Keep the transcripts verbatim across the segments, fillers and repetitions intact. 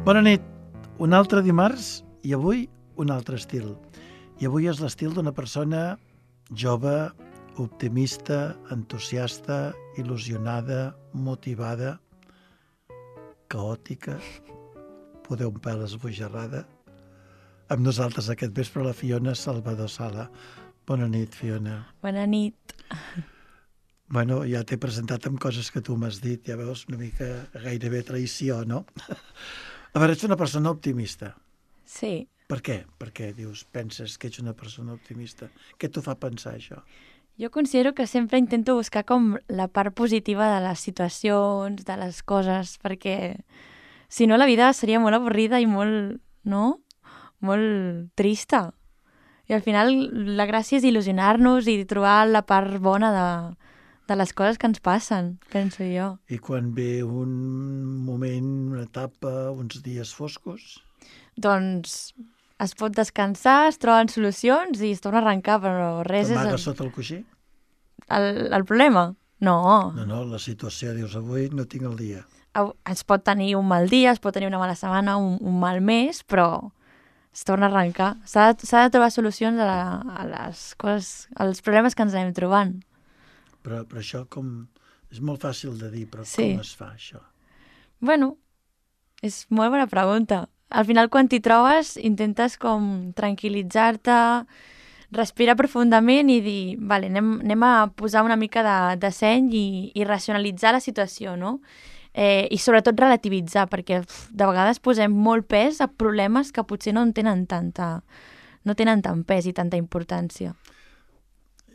Bona nit. Un altre dimarts i avui un altre estil. I avui és l'estil d'una persona jove, optimista, entusiasta, il·lusionada, motivada, caòtica, poder un pèl esbojarrada. Amb nosaltres aquest vespre la Fiona Salvador Sala. Bona nit, Fiona. Bona nit. Bueno, ja t'he presentat amb coses que tu m'has dit, ja veus, una mica gairebé traïció, no? A veure, ets una persona optimista. Sí. Per què? Per què dius, penses que ets una persona optimista? Què t'ho fa pensar, això? Jo considero que sempre intento buscar com la part positiva de les situacions, de les coses, perquè si no la vida seria molt avorrida i molt, no? Molt trista. I al final la gràcia és il·lusionar-nos i trobar la part bona de, de les coses que ens passen, penso jo. I quan ve un moment, una etapa, uns dies foscos? Doncs es pot descansar, es troben solucions i es torna a arrencar, però res és... T'amagues sota el coixí? El, el problema? No. No, no, la situació, dius, avui no tinc el dia. Es pot tenir un mal dia, es pot tenir una mala setmana, un, un mal mes, però es torna a arrencar. S'ha de, s'ha de trobar solucions a, la, a les coses, als problemes que ens anem trobant. Però, però això com... És molt fàcil de dir, però sí. Com es fa, això? Bueno, és molt bona pregunta. Al final, quan t'hi trobes, intentes com tranquil·litzar-te, respirar profundament i dir, vale, anem, anem a posar una mica de, de seny i, i racionalitzar la situació, no? Eh, I sobretot relativitzar, perquè uf, de vegades posem molt pes a problemes que potser no en tenen tanta, no tenen tant pes i tanta importància.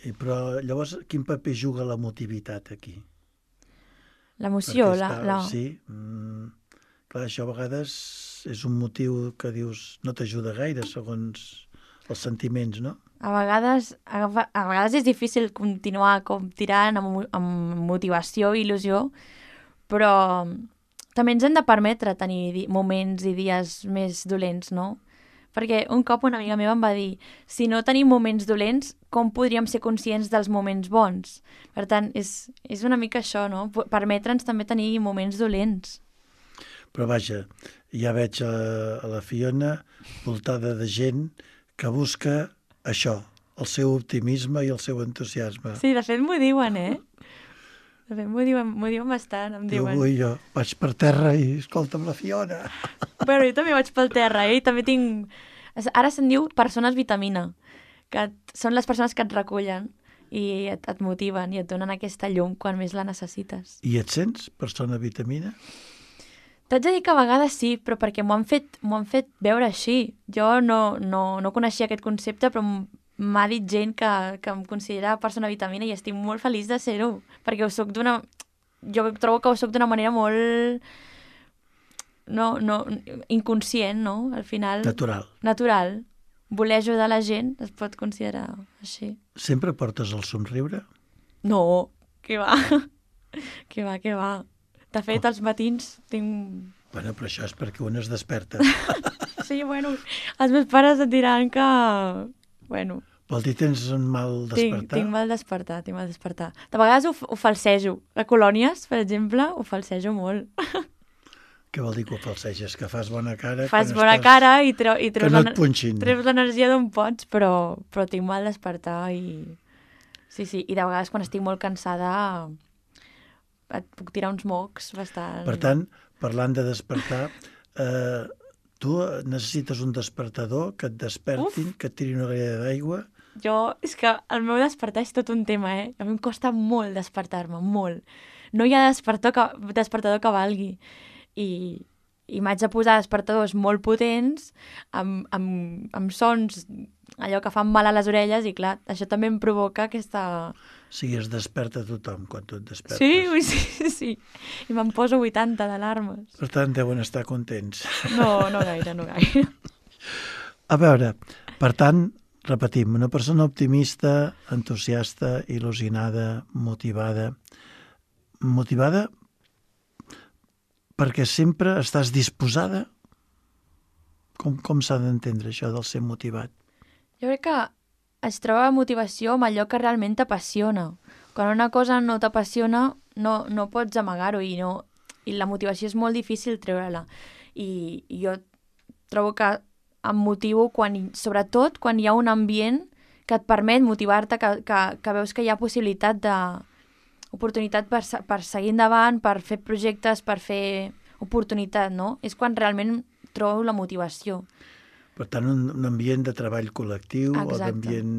I, però llavors, quin paper juga l'emotivitat aquí? L'emoció, la, està, la... Sí, mm, clar, això a vegades és un motiu que dius no t'ajuda gaire, segons els sentiments, no? A vegades, a, a vegades és difícil continuar com tirant amb, amb motivació i il·lusió, però també ens hem de permetre tenir moments i dies més dolents, no? Perquè un cop una amiga meva em va dir, si no tenim moments dolents, com podríem ser conscients dels moments bons? Per tant, és, és una mica això, no? Permetre'ns també tenir moments dolents. Però vaja, ja veig a, a la Fiona voltada de gent que busca això, el seu optimisme i el seu entusiasme. Sí, de fet m'ho diuen, eh? De fet m'ho diuen, m'ho diuen bastant, em Diu, diuen. avui jo vaig per terra i escolta'm la Fiona. Bueno, jo també vaig pel terra, eh? I també tinc... Ara se'n diu persones vitamina, que són les persones que et recullen i et, et motiven i et donen aquesta llum quan més la necessites. I et sents persona vitamina? T'haig de dir que a vegades sí, però perquè m'ho han fet, m'ho han fet veure així. Jo no, no, no coneixia aquest concepte, però m'ha dit gent que, que em considera persona vitamina i estic molt feliç de ser-ho, perquè ho soc d'una... Jo trobo que ho soc d'una manera molt... No, no, inconscient, no? Al final... Natural. Natural. Voler ajudar la gent es pot considerar així. Sempre portes el somriure? No, què va? Què va, què va? De fet, als matins tinc... Bueno, però això és perquè un es desperta. Sí, bueno, els meus pares et diran que... Bueno... Vol dir tens un mal despertar? Tinc, tinc mal despertar, tinc mal despertar. De vegades ho, ho falsejo. A colònies, per exemple, ho falsejo molt. Què vol dir que ho falseges? Que fas bona cara? Fas bona estàs... cara i, treu, i treus, que no et punxin. treus l'energia d'on pots, però, però tinc mal despertar i... Sí, sí, i de vegades quan estic molt cansada et puc tirar uns mocs bastant... Per tant, parlant de despertar, eh, tu necessites un despertador que et despertin, Uf. que et tiri una galleda d'aigua... Jo, és que el meu despertar és tot un tema, eh? A mi em costa molt despertar-me, molt. No hi ha despertador que, despertador que valgui. I, i m'haig de posar despertadors molt potents, amb, amb, amb sons, allò que fan mal a les orelles, i clar, això també em provoca aquesta... O sigui, es desperta tothom quan tu et despertes. Sí, sí, sí. I me'n poso vuitanta d'alarmes. Per tant, deuen estar contents. No, no gaire, no gaire. A veure, per tant, repetim, una persona optimista, entusiasta, il·lusionada, motivada. Motivada perquè sempre estàs disposada? Com, com s'ha d'entendre això del ser motivat? Jo crec que es troba motivació amb allò que realment t'apassiona. Quan una cosa no t'apassiona, no, no pots amagar-ho i, no, i la motivació és molt difícil treure-la. i, i jo trobo que em motivo quan, sobretot quan hi ha un ambient que et permet motivar-te, que, que, que veus que hi ha possibilitat de oportunitat per, per seguir endavant, per fer projectes, per fer oportunitat, no? És quan realment trobo la motivació. Per tant, un, un ambient de treball col·lectiu Exacte. o d'ambient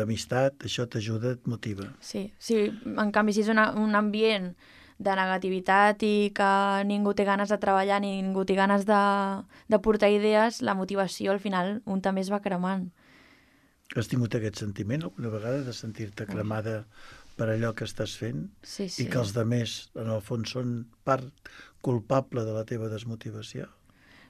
d'amistat, això t'ajuda, et motiva. Sí, sí, en canvi, si és una, un ambient de negativitat i que ningú té ganes de treballar, ni ningú té ganes de, de portar idees, la motivació al final un també es va cremant. Has tingut aquest sentiment alguna vegada de sentir-te cremada per allò que estàs fent? Sí, sí. I que els demés, en el fons, són part culpable de la teva desmotivació?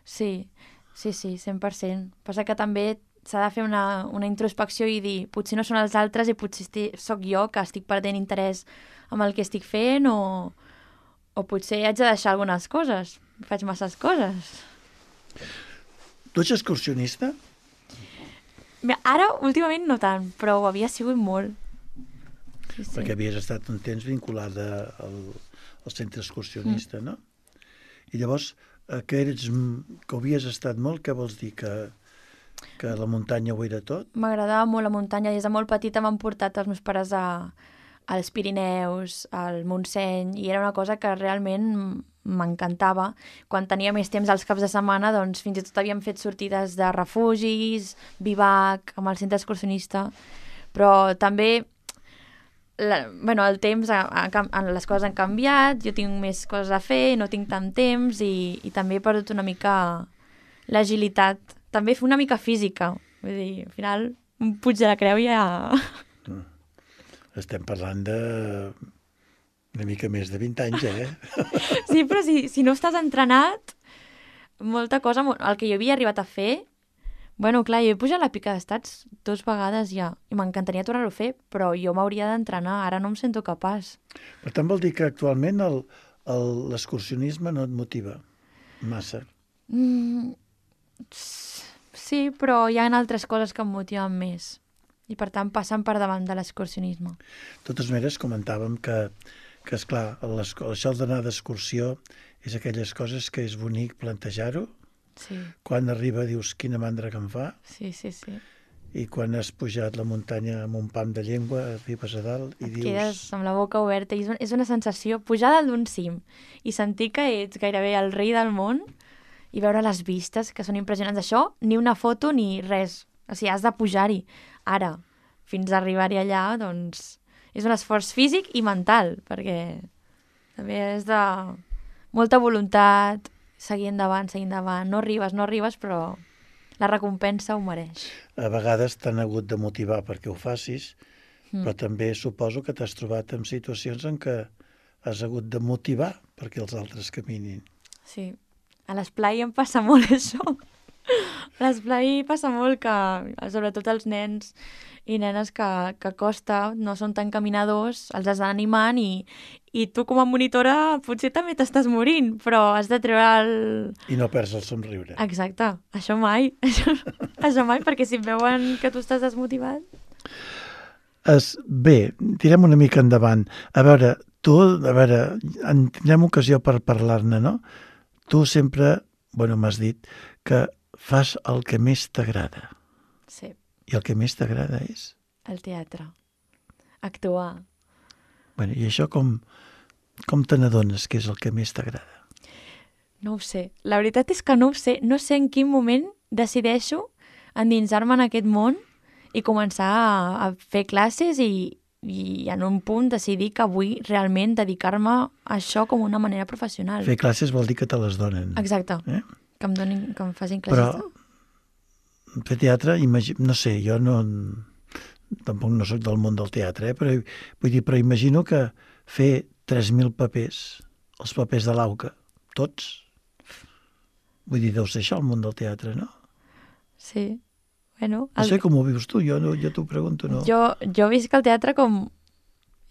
Sí, sí, sí, cent per cent. Passa que també s'ha de fer una, una introspecció i dir, potser no són els altres i potser estic, soc jo que estic perdent interès amb el que estic fent o, o potser haig de deixar algunes coses. Faig masses coses. Tu ets excursionista? Mira, ara, últimament, no tant, però ho havia sigut molt. Sí, sí. Perquè havies estat un temps vinculada al, al centre excursionista, mm. no? I llavors, eh, que, eres, que ho havies estat molt, què vols dir? Que, que la muntanya ho era tot? M'agradava molt la muntanya. Des de molt petita m'han portat els meus pares a, als Pirineus, al Montseny, i era una cosa que realment m'encantava. Quan tenia més temps als caps de setmana, doncs fins i tot havíem fet sortides de refugis, bivac, amb el centre excursionista, però també la, bueno, el temps, ha, ha, les coses han canviat, jo tinc més coses a fer, no tinc tant temps i, i també he perdut una mica l'agilitat, també fer una mica física, vull dir, al final un puig de la creu ja... Estem parlant de una mica més de vint anys, eh? Sí, però si, si no estàs entrenat, molta cosa, el que jo havia arribat a fer, bueno, clar, jo he pujat la pica d'estats dues vegades ja, i m'encantaria tornar-ho a fer, però jo m'hauria d'entrenar, ara no em sento capaç. Per tant, vol dir que actualment l'excursionisme no et motiva massa? Mm, sí, però hi ha altres coses que em motiven més. I, per tant, passen per davant de l'excursionisme. De totes maneres, comentàvem que, que esclar, això d'anar d'excursió és aquelles coses que és bonic plantejar-ho. Sí. Quan arriba dius quina mandra que em fa. Sí, sí, sí. I quan has pujat la muntanya amb un pam de llengua, arribes a dalt i Et dius... quedes amb la boca oberta. I és una sensació, pujar dalt d'un cim i sentir que ets gairebé el rei del món i veure les vistes, que són impressionants. Això, ni una foto ni res. O sigui, has de pujar-hi. Ara, fins a arribar-hi allà, doncs, és un esforç físic i mental, perquè també és de molta voluntat, seguir endavant, seguir endavant. No arribes, no arribes, però la recompensa ho mereix. A vegades t'han hagut de motivar perquè ho facis, mm. però també suposo que t'has trobat en situacions en què has hagut de motivar perquè els altres caminin. Sí, a l'esplai em passa molt això. A l'esplai passa molt que, sobretot els nens i nenes que, que costa, no són tan caminadors, els has d'anar animant i, i tu com a monitora potser també t'estàs morint, però has de treure el... I no perds el somriure. Exacte, això mai, això, això mai, perquè si veuen que tu estàs desmotivat... Es, bé, tirem una mica endavant. A veure, tu, a veure, en tindrem ocasió per parlar-ne, no? Tu sempre, bueno, m'has dit que fas el que més t'agrada. Sí. I el que més t'agrada és? El teatre. Actuar. Bueno, i això com, com te n'adones que és el que més t'agrada? No ho sé. La veritat és que no ho sé. No sé en quin moment decideixo endinsar-me en aquest món i començar a, a fer classes i, i en un punt decidir que vull realment dedicar-me a això com una manera professional. Fer classes vol dir que te les donen. Exacte. Eh? Que em donin, que em facin classes. Però fer teatre, imagi... no sé, jo no... tampoc no sóc del món del teatre, eh? però, vull dir, però imagino que fer tres mil papers, els papers de l'Auca, tots, vull dir, deu ser això el món del teatre, no? Sí, bueno... El... No sé com ho vius tu, jo, no, jo t'ho pregunto, no? Jo, jo visc el teatre com...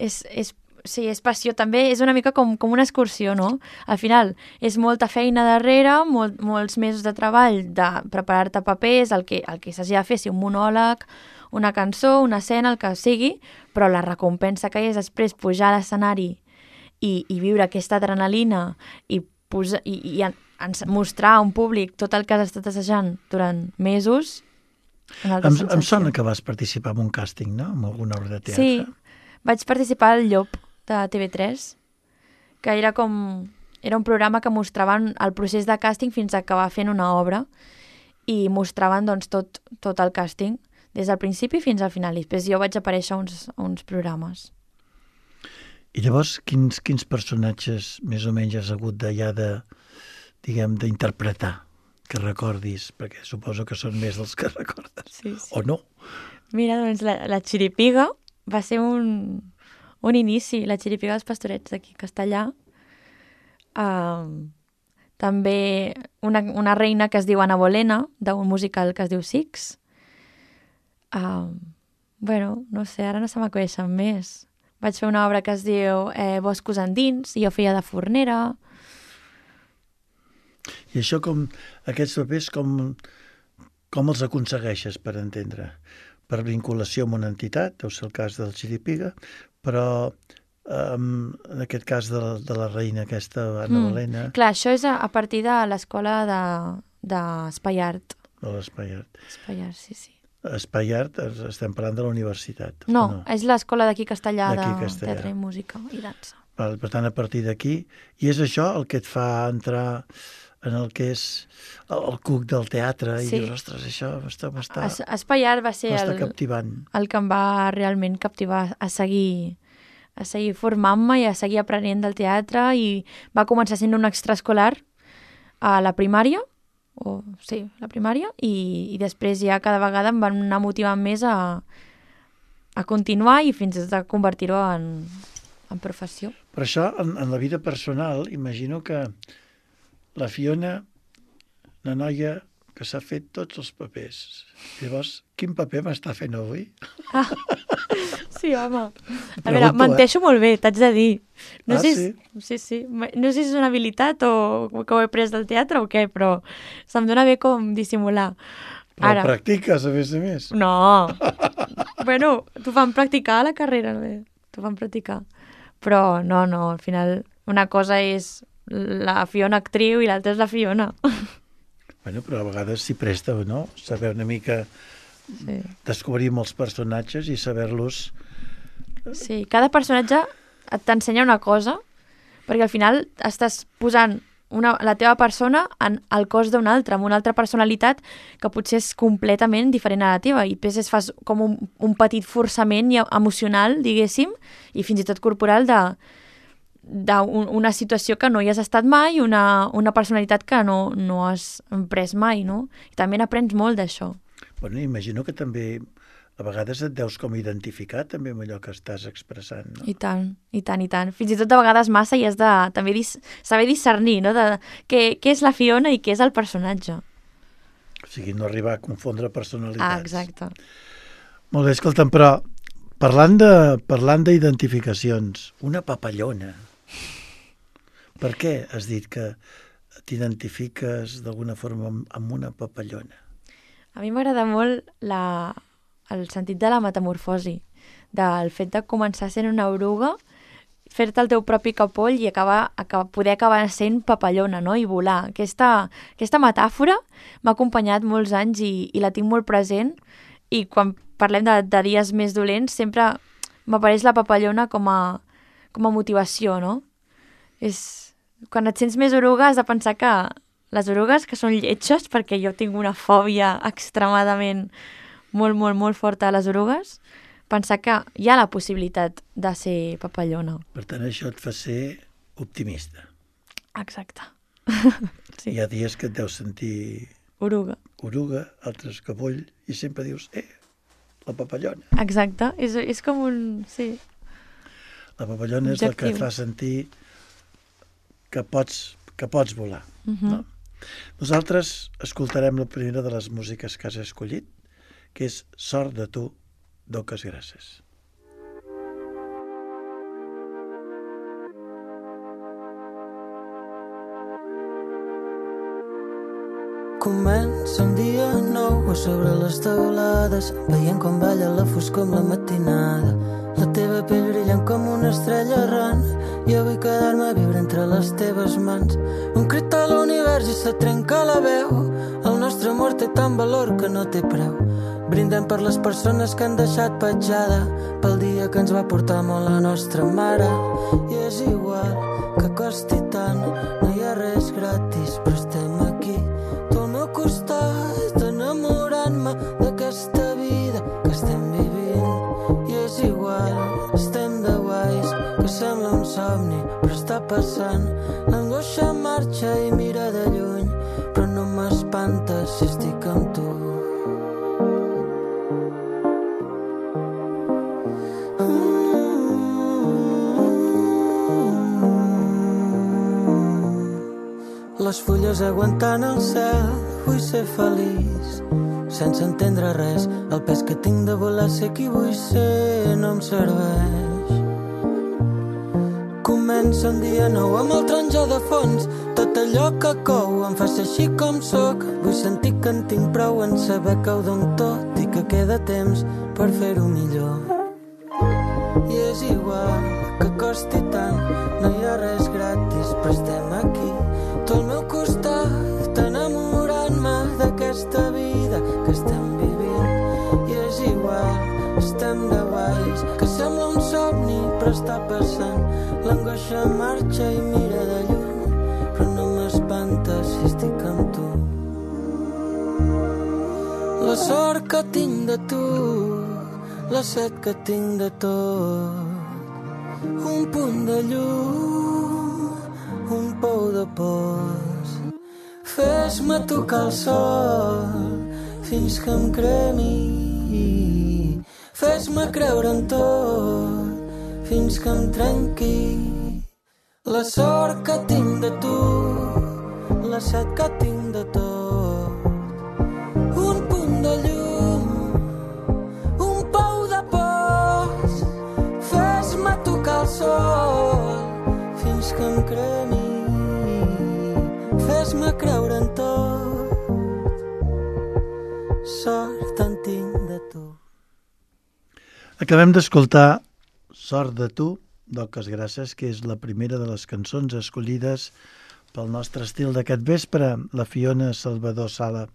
És, és, sí, és passió, també és una mica com, com una excursió, no? Al final, és molta feina darrere, molt, molts mesos de treball, de preparar-te papers, el que, el que s'hagi de fer, si un monòleg, una cançó, una escena, el que sigui, però la recompensa que hi és després pujar a l'escenari i, i viure aquesta adrenalina i, posar, i, i, ens mostrar a un públic tot el que has estat assajant durant mesos. Em, em sona que vas participar en un càsting, no? En alguna obra de teatre. Sí, vaig participar al Llop de T V tres, que era com... Era un programa que mostraven el procés de càsting fins a acabar fent una obra i mostraven doncs, tot, tot el càsting, des del principi fins al final. I després jo vaig aparèixer a uns, a uns programes. I llavors, quins, quins personatges més o menys has hagut d'allà de, diguem, d'interpretar, que recordis? Perquè suposo que són més dels que recordes. Sí, sí. O no? Mira, doncs la, la Xiripiga va ser un, un inici, la Xiripiga dels Pastorets d'aquí a Castellà. Uh, també una, una reina que es diu Ana Bolena, d'un musical que es diu Six. Uh, bueno, no sé, ara no se m'acudeixen més. Vaig fer una obra que es diu eh, Boscos Endins, i jo feia de fornera. I això com, aquests papers, com, com els aconsegueixes, per entendre? Per vinculació amb una entitat, deu ser el cas del Xiripiga, però um, en aquest cas de la, de la reina aquesta, Ana mm. Bolena... Clar, això és a, a partir de l'escola d'Espai de, Art. De l'Espai Art. Espai Art, sí, sí. Espai Art, estem parlant de la universitat. No, no? És l'escola d'aquí Castellà de Castellà. Teatre i Música i Dansa. Per, per tant, a partir d'aquí, i és això el que et fa entrar en el que és el, el cuc del teatre, sí. I dius, ostres, això m'està es, Espai Art va ser el, captivant. El que em va realment captivar a seguir, a seguir formant-me i a seguir aprenent del teatre, i va començar sent un extraescolar a la primària, o sí, la primària, i, i després ja cada vegada em van anar motivant més a, a continuar i fins a convertir-ho en, en professió. Per això, en, en la vida personal, imagino que la Fiona, una noia que s'ha fet tots els papers. Llavors, quin paper m'està fent avui? Ah, sí, home. A veure, menteixo eh? molt bé, t'haig de dir. No ah, sé sí? Si, sí, sí. No sé si és una habilitat o que ho he pres del teatre o què, però se'm dona bé com dissimular. Però Ara, practiques, a més a més. No. Bueno, t'ho fan practicar a la carrera, bé. T'ho fan practicar. Però no, no, al final una cosa és la Fiona actriu i l'altra és la Fiona. Bueno, però a vegades s'hi presta, no? Saber una mica sí. Descobrir molts personatges i saber-los... Sí, cada personatge t'ensenya una cosa, perquè al final estàs posant una, la teva persona en el cos d'una altra, amb una altra personalitat que potser és completament diferent a la teva, i després fas com un, un petit forçament emocional, diguéssim, i fins i tot corporal de... d'una situació que no hi has estat mai, una, una personalitat que no, no has pres mai, no? I també n'aprens molt d'això. Bueno, imagino que també a vegades et deus com identificar també amb allò que estàs expressant, no? I tant, i tant, i tant. Fins i tot de vegades massa i has de també dis, saber discernir, no? De, què, què és la Fiona i què és el personatge. O sigui, no arribar a confondre personalitats. Ah, exacte. Molt bé, escolta'm, però parlant de parlant d'identificacions, una papallona. Per què has dit que t'identifiques d'alguna forma amb una papallona? A mi m'agrada molt la, el sentit de la metamorfosi, del fet de començar sent una oruga, fer-te el teu propi capoll i acabar, acabar, poder acabar sent papallona, no? I volar. Aquesta, aquesta metàfora m'ha acompanyat molts anys i, i la tinc molt present, i quan parlem de, de dies més dolents sempre m'apareix la papallona com a, com a motivació, no? És... Quan et sents més oruga has de pensar que les orugues que són lletges, perquè jo tinc una fòbia extremadament molt, molt, molt forta a les orugues, pensar que hi ha la possibilitat de ser papallona. Per tant, això et fa ser optimista. Exacte. Sí. Hi ha dies que et deus sentir... Oruga. Oruga, altres capoll, i sempre dius, eh, la papallona. Exacte, és, és com un... Sí. La papallona és la que et fa sentir... que pots, que pots volar. Uh-huh. No? Nosaltres escoltarem la primera de les músiques que has escollit, que és Sort de tu, d'Oques Grasses. Comença un dia nou, nou a sobre les teulades, veient com balla la foscor amb la matinada. La teva pell brillant com una estrella errant, jo vull quedar-me a viure entre les teves mans. Un crit a l'univers i se trenca la veu, el nostre amor té tant valor que no té preu. Brindem per les persones que han deixat petjada, pel dia que ens va portar molt la nostra mare. I és igual que costi tant, no hi ha res gratis, però estem aquí, tu al meu costat, enamorant-me d'aquesta vida que estem vivint. I és igual, estem de guais, que sembla un somni, però està passant. L'angoixa marxa i mira de lluny, però no m'espanta si estic amb tu. Les fulles aguantant el cel, vull ser feliç, sense entendre res. El pes que tinc de voler ser qui vull ser no em serveix. Comença un dia nou amb el taronja de fons, tot allò que cou em fa ser així com sóc. Vull sentir que en tinc prou en saber que ho dono tot i que queda temps per fer-ho millor. I és igual que costi tant, no hi ha res gratis, però estem aquí, tu al meu costat, enamorant-me d'aquesta vida que estem vivint. I és igual, estem de guais, que sembla un somni, però està passant. L'angoixa marxa i mira de lluny, però no m'espanta si estic amb tu. La sort que tinc de tu, la set que tinc de tot, un punt de llum, un pou de pors. Fes-me tocar el sol fins que em cremi, fes-me creure en tot fins que em trenqui. La sort que tinc de tu, la set que tinc de tot, un punt de llum, un pou de pors. Fes-me tocar el sol fins que em cremi, fes-me creure en tot, sort en tinc de tu. Acabem d'escoltar Sort de tu, d'Oques Grasses, que és la primera de les cançons escollides pel nostre estil d'aquest vespre, la Fiona Salvador Sala.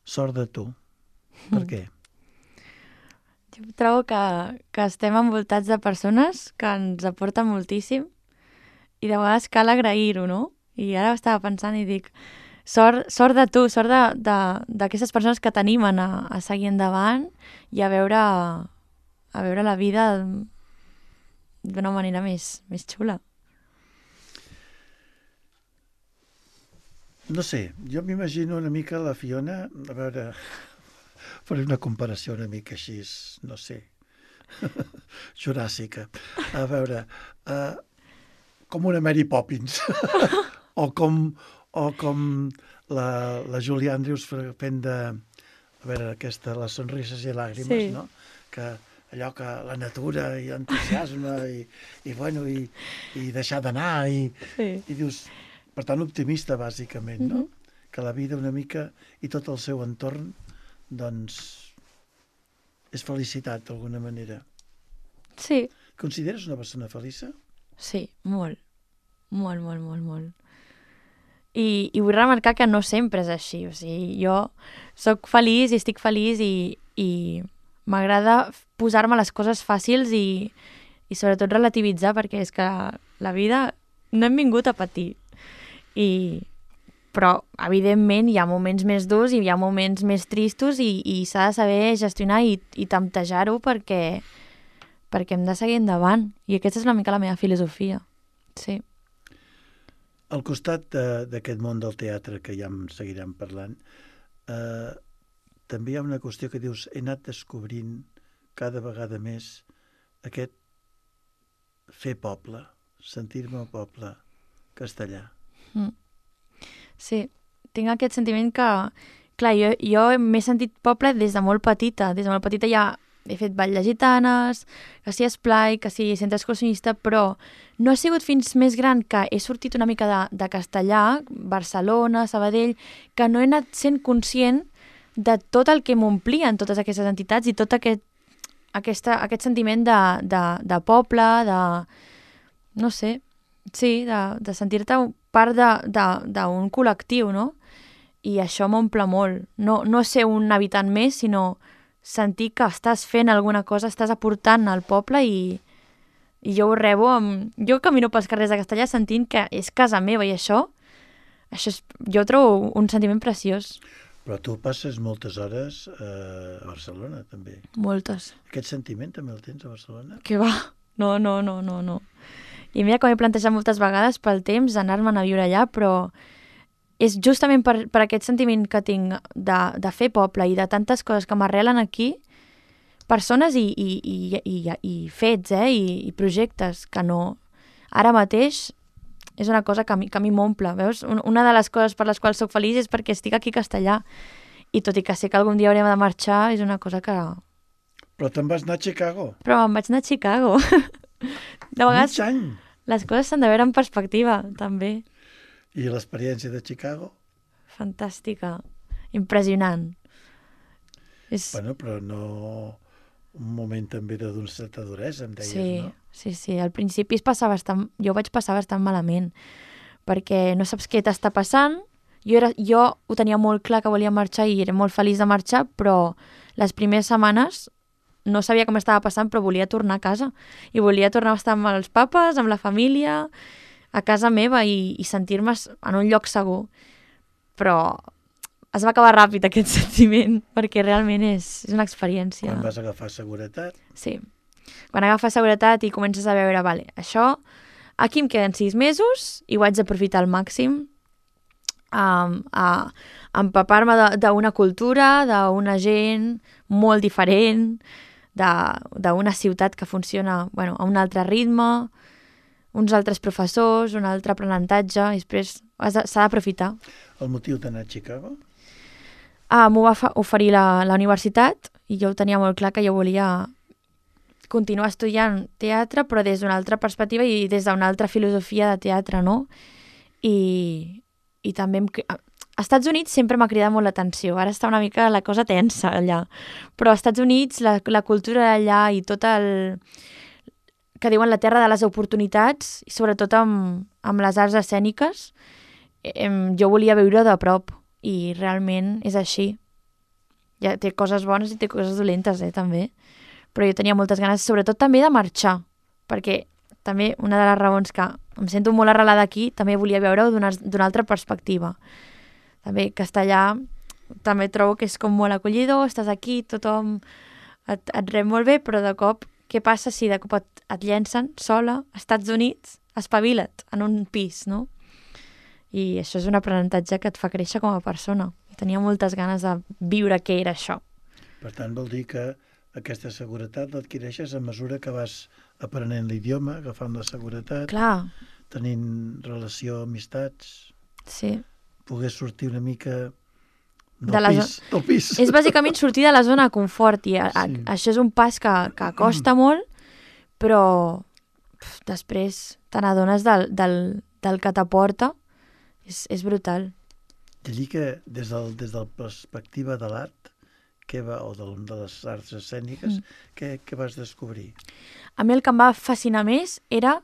Sort de tu. Per què? Jo trobo que, que estem envoltats de persones que ens aporten moltíssim i de vegades cal agrair-ho, no? I ara estava pensant i dic, sort, sort de tu, sort d'aquestes persones que t'animen a, a seguir endavant i a veure, a veure la vida d'una manera més, més xula. No sé, jo m'imagino una mica la Fiona, a veure, faré una comparació una mica així, no sé, juràssica. A veure, uh, com una Mary Poppins, o com, o com la, la Julie Andrews fent de, a veure, aquesta, les sonrises i làgrimes, sí. No? Que allò que la natura i entusiasme i, i, bueno, i, i deixar d'anar i, sí. I dius, per tant optimista bàsicament, no? Mm-hmm. Que la vida una mica i tot el seu entorn doncs és felicitat d'alguna manera. Sí. Consideres una persona feliça? Sí, molt. Molt, molt, molt, molt. I, i vull remarcar que no sempre és així. O sigui, jo sóc feliç i estic feliç i, i m'agrada posar-me les coses fàcils i, i sobretot relativitzar, perquè és que la vida no hem vingut a patir. I, però, evidentment, hi ha moments més durs i hi ha moments més tristos i, i s'ha de saber gestionar i, i temptejar-ho perquè, perquè hem de seguir endavant. I aquesta és una mica la meva filosofia. Sí. Al costat d'aquest món del teatre, que ja en seguirem parlant, eh, també hi ha una qüestió que dius, he anat descobrint cada vegada més aquest fer poble, sentir-me poble castellà. Mm. Sí, tinc aquest sentiment que, clar, jo, jo m'he sentit poble des de molt petita. Des de molt petita ja he fet ball de gitanes, que si esplai, que si centre excursionista, però no ha sigut fins més gran que he sortit una mica de, de castellà, Barcelona, Sabadell, que no he anat sent conscient de tot el que m'omplien totes aquestes entitats i tot aquest, aquesta, aquest sentiment de, de, de poble, de... no sé, sí, de, de sentir-te part d'un col·lectiu, no? I això m'omple molt. No, no ser un habitant més, sinó sentir que estàs fent alguna cosa, estàs aportant al poble i, i jo ho rebo amb... Jo camino pels carrers de Castellà sentint que és casa meva i això, això és, jo trobo un sentiment preciós. Però tu passes moltes hores eh, a Barcelona, també. Moltes. Aquest sentiment també el tens a Barcelona? Que va? No, no, no, no, no. I mira que m'he plantejat moltes vegades pel temps anar-me'n a viure allà, però és justament per, per aquest sentiment que tinc de, de fer poble i de tantes coses que m'arrelen aquí, persones i, i, i, i, i fets, eh, i, i projectes que no... Ara mateix és una cosa que a mi, que a mi m'omple, veus? Una de les coses per les quals sóc feliç és perquè estic aquí a Castellà. I tot i que sé que algun dia haurem de marxar, és una cosa que... Però te'n vas anar a Chicago. Però em vaig anar a Chicago. De vegades mig any. Les coses s'han de veure en perspectiva, també. I l'experiència de Chicago? Fantàstica. Impressionant. És... Bueno, però no... Un moment també d'una certa duresa, em deies, sí, no? Sí, sí. Al principi es passava bastant... Jo vaig passar bastant malament, perquè no saps què t'està passant. Jo, era... jo ho tenia molt clar que volia marxar i era molt feliç de marxar, però les primeres setmanes no sabia com estava passant, però volia tornar a casa. I volia tornar a estar amb els papes, amb la família, a casa meva i, i sentir-me en un lloc segur. Però es va acabar ràpid aquest sentiment, perquè realment és, és una experiència. Quan vas agafar seguretat? Sí. Quan agafes seguretat i comences a veure, vale, això, aquí em queden sis mesos i ho haig d'aprofitar al màxim, um, a empapar-me d'una cultura, d'una gent molt diferent, d'una ciutat que funciona bueno, a un altre ritme, uns altres professors, un altre aprenentatge, i després s'ha d'aprofitar. El motiu d'anar a Chicago? Ah, m'ho va oferir la, la universitat i jo ho tenia molt clar que jo volia continuar estudiant teatre, però des d'una altra perspectiva i des d'una altra filosofia de teatre, no? I, i també... Em, als Estats Units sempre m'ha cridat molt l'atenció. Ara està una mica la cosa tensa allà. Però als Estats Units la, la cultura d'allà i tot el... que diuen la terra de les oportunitats, i sobretot amb, amb les arts escèniques, em, jo volia viure de prop. I realment és així. Ja té coses bones i té coses dolentes, eh, també. Però jo tenia moltes ganes, sobretot també de marxar, perquè també una de les raons que em sento molt arrelada aquí, també volia veure-ho d'una altra perspectiva. També Castellà també trobo que és com molt acollidor, estàs aquí, tothom et, et rep molt bé, però de cop, què passa si de cop et, et llencen sola als Estats Units? Espavila't en un pis, no? I això és un aprenentatge que et fa créixer com a persona. I tenia moltes ganes de viure què era això. Per tant, vol dir que aquesta seguretat l'adquireixes a mesura que vas aprenent l'idioma, agafant la seguretat, Clar. tenint relació, amistats, sí. poder sortir una mica del, de la pis, del pis. És bàsicament sortir de la zona de confort i a, a, Sí. això és un pas que, que costa molt, però pf, després te n'adones del, del, del que t'aporta. És, és brutal. I allí que des, del, des de la perspectiva de l'art, què va, o de, de les arts escèniques, mm. què, què vas descobrir? A mi el que em va fascinar més era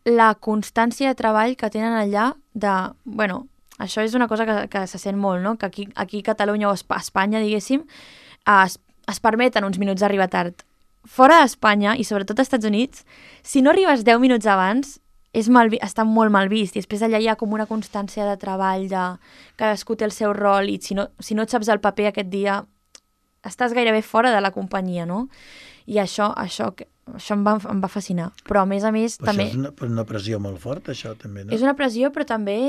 la constància de treball que tenen allà de... Bueno, això és una cosa que, que se sent molt, no? Que aquí, aquí a Catalunya o a Espanya, diguéssim, es, es permeten uns minuts d'arribar tard. Fora d'Espanya, i sobretot als Estats Units, si no arribes deu minuts abans, és mal, està molt mal vist, i després allà hi ha com una constància de treball, de cadascú té el seu rol, i si no, si no et saps el paper aquest dia, estàs gairebé fora de la companyia, no? I això, això, això em, va, em va fascinar. Però a més a més... Però també... això és una, una pressió molt forta, això també, no? És una pressió, però també...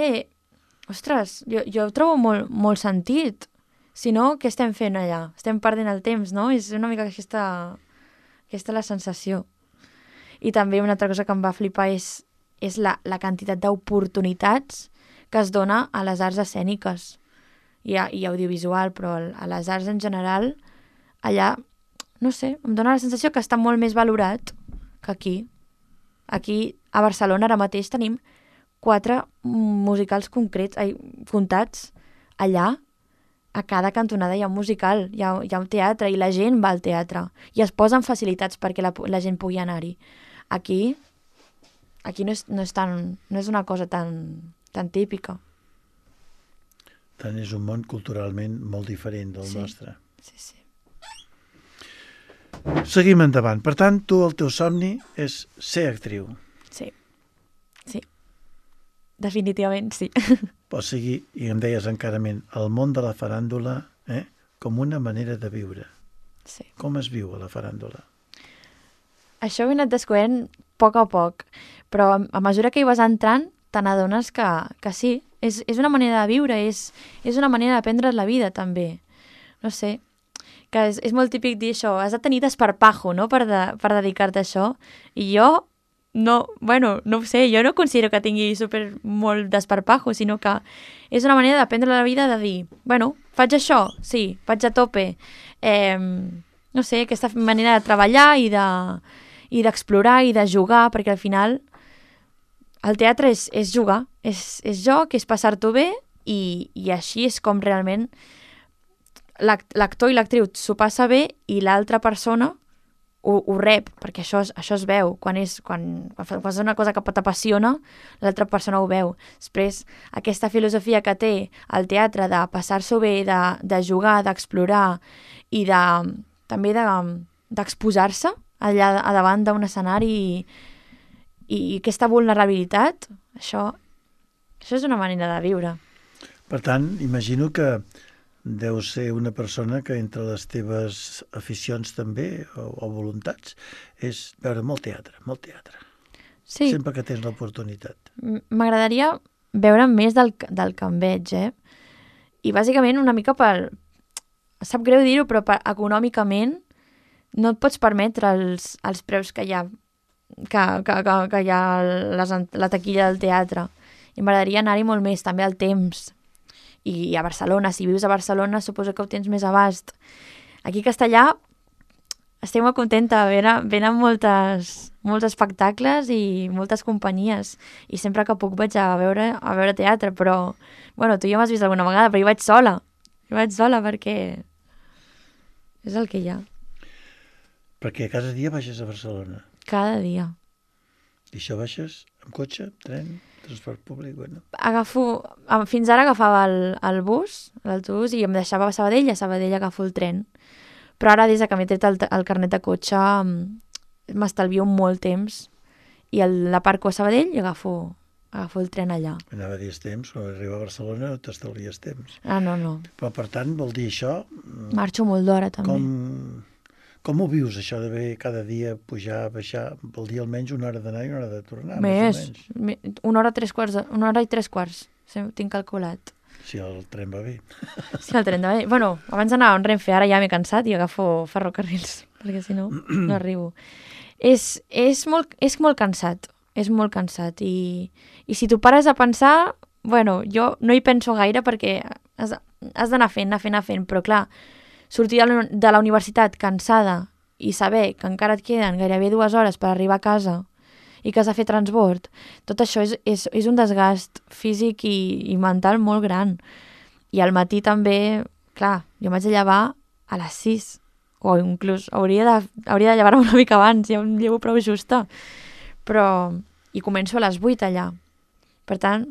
Ostres, jo, jo ho trobo molt, molt sentit. Si no, què estem fent allà? Estem perdent el temps, no? És una mica aquesta, aquesta la sensació. I també una altra cosa que em va flipar és és la, la quantitat d'oportunitats que es dona a les arts escèniques i, a, i audiovisual, però a les arts en general, allà, no sé, em dona la sensació que està molt més valorat que aquí. Aquí, a Barcelona, ara mateix tenim quatre musicals concrets, ai, comptats allà, a cada cantonada hi ha un musical, hi ha, hi ha un teatre i la gent va al teatre i es posen facilitats perquè la, la gent pugui anar-hi. Aquí, aquí no és, no és, tan, no és una cosa tan, tan típica. Tant és un món culturalment molt diferent del Sí. nostre. Sí, sí. Seguim endavant. Per tant, tu el teu somni és ser actriu. Sí, sí. Definitivament sí. O sigui, i em deies encarament, el món de la faràndula eh, com una manera de viure. Sí. Com es viu a la faràndula? Això ho he anat descobrint a poc a poc, però a mesura que hi vas entrant te n'adones que, que sí, és, és una manera de viure, és, és una manera d'aprendre la vida també. No sé, que és, és molt típic dir això, has de tenir desparpajo, no?, per, de, per dedicar-te a això, i jo no, bueno, no ho sé, jo no considero que tingui super molt desparpajo, sinó que és una manera d'aprendre la vida de dir, bueno, faig això, sí, vaig a tope, eh, no sé, aquesta manera de treballar i de i d'explorar i de jugar, perquè al final el teatre és, és jugar, és, és joc, és passar-t'ho bé i, i així és com realment l'actor i l'actriu s'ho passa bé i l'altra persona ho, ho rep, perquè això, es- això es veu. Quan, és, quan, quan fas una cosa que t'apassiona, l'altra persona ho veu. Després, aquesta filosofia que té el teatre de passar-s'ho bé, de, de jugar, d'explorar i de, també de, d'exposar-se allà a davant d'un escenari i, i aquesta vulnerabilitat, això, això és una manera de viure. Per tant, imagino que deu ser una persona que entre les teves aficions també, o, o voluntats, és veure molt teatre, molt teatre. Sí, Sempre que tens l'oportunitat. m- m'agradaria veure més del, que- del que em veig, eh? I bàsicament una mica per... Sap greu dir-ho, però per, econòmicament no et pots permetre els, els preus que hi ha, que, que, que, que hi ha a les, ent- la taquilla del teatre. I m'agradaria anar-hi molt més, també al temps. I a Barcelona, si vius a Barcelona, suposo que ho tens més abast. Aquí a Castellà estic molt contenta, venen, venen moltes, molts espectacles i moltes companyies i sempre que puc vaig a veure, a veure teatre, però bueno, tu ja m'has vist alguna vegada, però jo vaig sola, jo vaig sola perquè és el que hi ha, Perquè cada dia baixes a Barcelona. cada dia. I això baixes amb cotxe, tren, transport públic, bueno. Agafo, em- fins ara agafava el, el bus, l'autobús, i em deixava a Sabadell, i a Sabadell agafo el tren. Però ara, des de que m'he tret el, el carnet de cotxe, mm, m'estalvio molt temps i el, la parco a Sabadell i agafo, agafo el tren allà. Anava a dir temps, quan arriba a Barcelona no t'estalvies temps. Ah, no, no. Però, per tant, vol dir això... Marxo molt d'hora, també. Com, com ho vius, això d'haver cada dia pujar, baixar? Vol dir almenys una hora d'anar i una hora de tornar, Més, més o menys. me- una hora, tres quarts, de, una hora i tres quarts, sí, tinc calculat. Si el tren va bé. Sí, el tren de... Bueno, abans anava en Renfe, ara ja m'he cansat i agafo ferrocarrils, perquè si no, no arribo. És, és, molt, és molt cansat, és molt cansat. I, i si t'ho pares a pensar, bueno, jo no hi penso gaire perquè has, has d'anar fent, anar fent, anar fent, però clar, sortir de la, de la universitat cansada i saber que encara et queden gairebé dues hores per arribar a casa i que has de fer transbord, tot això és, és, és un desgast físic i, i mental molt gran. I al matí també, clar, jo m'haig de llevar a les sis, o inclús hauria de, hauria de llevar-me una mica abans, ja em llevo prou justa. Però, i començo a les vuit allà. Per tant,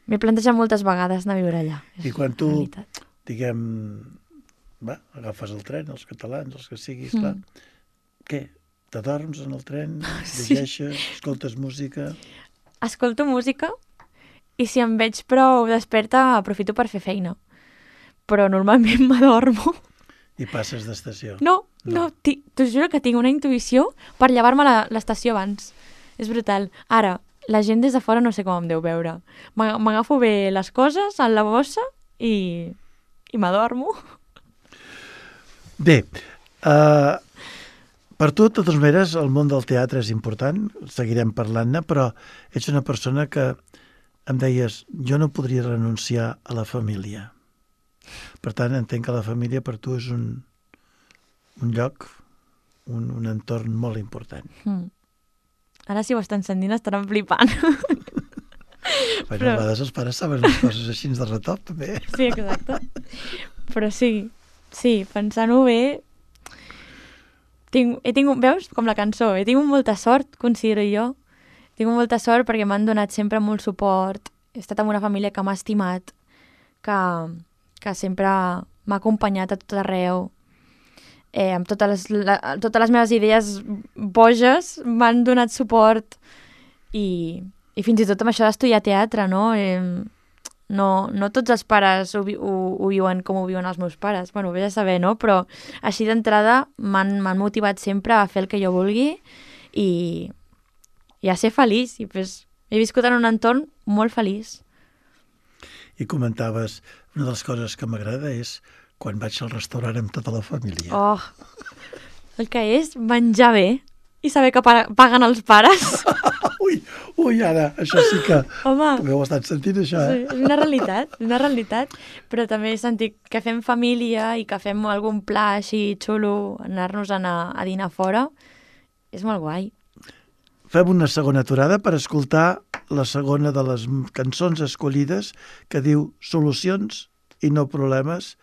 m'he plantejat moltes vegades anar a viure allà. I És quan la tu, realitat. diguem, va, agafes el tren, els catalans, els que siguis, Mm. clar, què? T'adorms en el tren, Sí. llegeixes, escoltes música... Escolto música i si em veig prou desperta aprofito per fer feina. Però normalment m'adormo. I passes d'estació. No, No. no, ti- t'ho juro que tinc una intuïció per llevar-me a la- l'estació abans. És brutal. Ara, la gent des de fora no sé com em deu veure. M'a- M'agafo bé les coses en la bossa i, i m'adormo. Bé, uh, per tu, de totes maneres, el món del teatre és important, seguirem parlant-ne, però ets una persona que em deies, jo no podria renunciar a la família. Per tant, entenc que la família per tu és un, un lloc, un, un entorn molt important. Mm. Ara si ho estan sentint estaran flipant. Bueno, Però- a vegades els pares saben les coses així de retop, també. Sí, exacte. Però sí, sí, pensant-ho bé, tinc, he tingut, veus, com la cançó, he tingut molta sort, considero jo. He tingut molta sort perquè m'han donat sempre molt suport, he estat amb una família que m'ha estimat, que, que sempre m'ha acompanyat a tot arreu. Eh, amb totes les, la, totes les meves idees boges m'han donat suport i, i fins i tot amb això d'estudiar teatre, no? Eh, no, no tots els pares ho, ho, ho viuen com ho viuen els meus pares, bueno, ho vés a saber, no? Però així d'entrada m'han motivat sempre a fer el que jo vulgui i, i a ser feliç. I pues, he viscut en un entorn molt feliç. I comentaves, una de les coses que m'agrada és quan vaig al restaurant amb tota la família. Oh, el que és menjar bé i saber que paguen els pares. ui, ui, ara, això sí que... Home, també ho he estat sentint, això, eh? Sí, és una realitat, és una realitat, però també he sentit que fem família i que fem algun pla així xulo, anar-nos a, anar a dinar fora, és molt guai. Fem una segona aturada per escoltar la segona de les cançons escollides que diu Solucions i no problemes,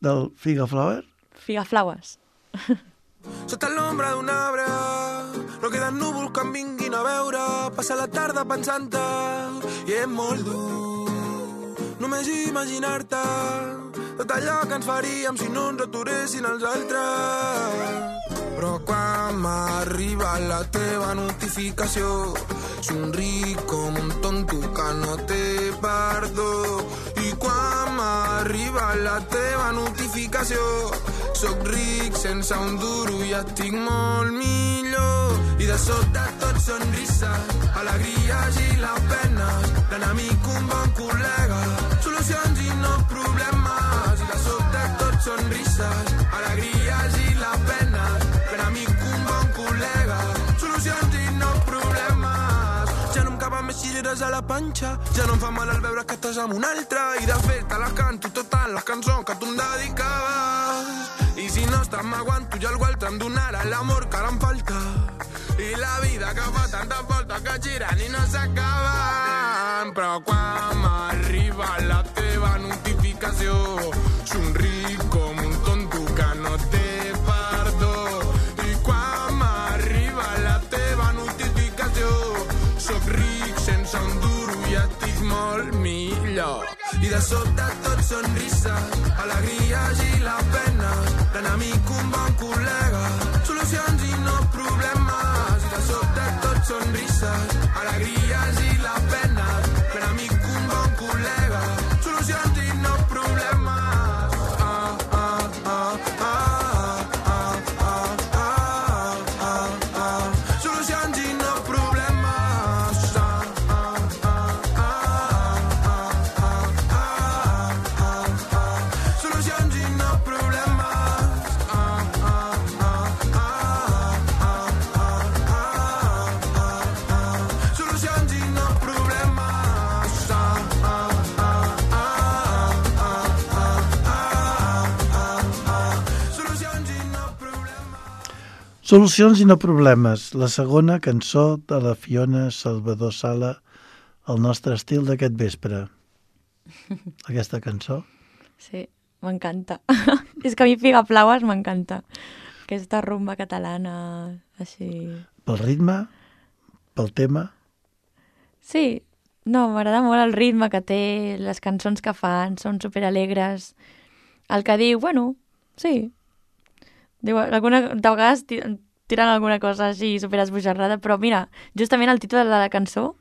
del Figaflower. Figaflowers. Sota l'ombra d'un arbre no queden núvols que em vinguin a veure. Passa la tarda pensant-te i és molt dur només imaginar-te tot allò que ens faríem si no ens aturessin els altres. Però quan m'arriba la teva notificació somric com un tonto que no té perdó. I quan m'arriba la teva notificació soc ric sense un duro i estic molt millor. I de sobte tot sonrises, alegries i les penes, l'enemic un bon col·lega, solucions i no problemes. I de sobte tot sonrises, alegries i les penes, l'enemic un bon col·lega, solucions i no problemes. Ja no em caben més cireres a la panxa, ja no em fa mal al veure que estàs amb un altre. I de fet te les canto totes les cançons que tu em dedicaves. I si no estàs m'aguanto i algú altre em donarà l'amor que ara em falta. I la vida que fa tantes voltes que giren i no s'acaben. Però quan m'arriba la teva notificació somric com un tonto que no té perdó. I quan m'arriba la teva notificació soc ric sense un duro i estic molt millor. I de sobte tot sonrises, alegries i les penes, l'enemic un bon col·lega, solucions i no problemes. I de sobte tot sonrises, alegries i les penes, l'enemic un bon col·lega, solucions i no problemes. Ah, ah, ah, ah, ah, ah, ah, ah, ah, solucions i no problemes. Ah, ah, ah, ah, ah, ah, ah, ah, solucions i no problemes. Ah, ah, ah, ah, ah, ah, ah, ah, solucions i no problemes. Ah, ah, ah, ah, solucions i no problemes. Solucions i no problemes, la segona cançó de la Fiona Salvador Sala, el nostre estil d'aquest vespre. Aquesta cançó? Sí, m'encanta. És que a mi Figaflowers m'encanta. Aquesta rumba catalana, així... Pel ritme? Pel tema? Sí, no, m'agrada molt el ritme que té, les cançons que fan, són superalegres. El que diu, bueno, sí. Diu, alguna, de vegades ti- tiren alguna cosa així superesbojarrada, però mira, justament el títol de la cançó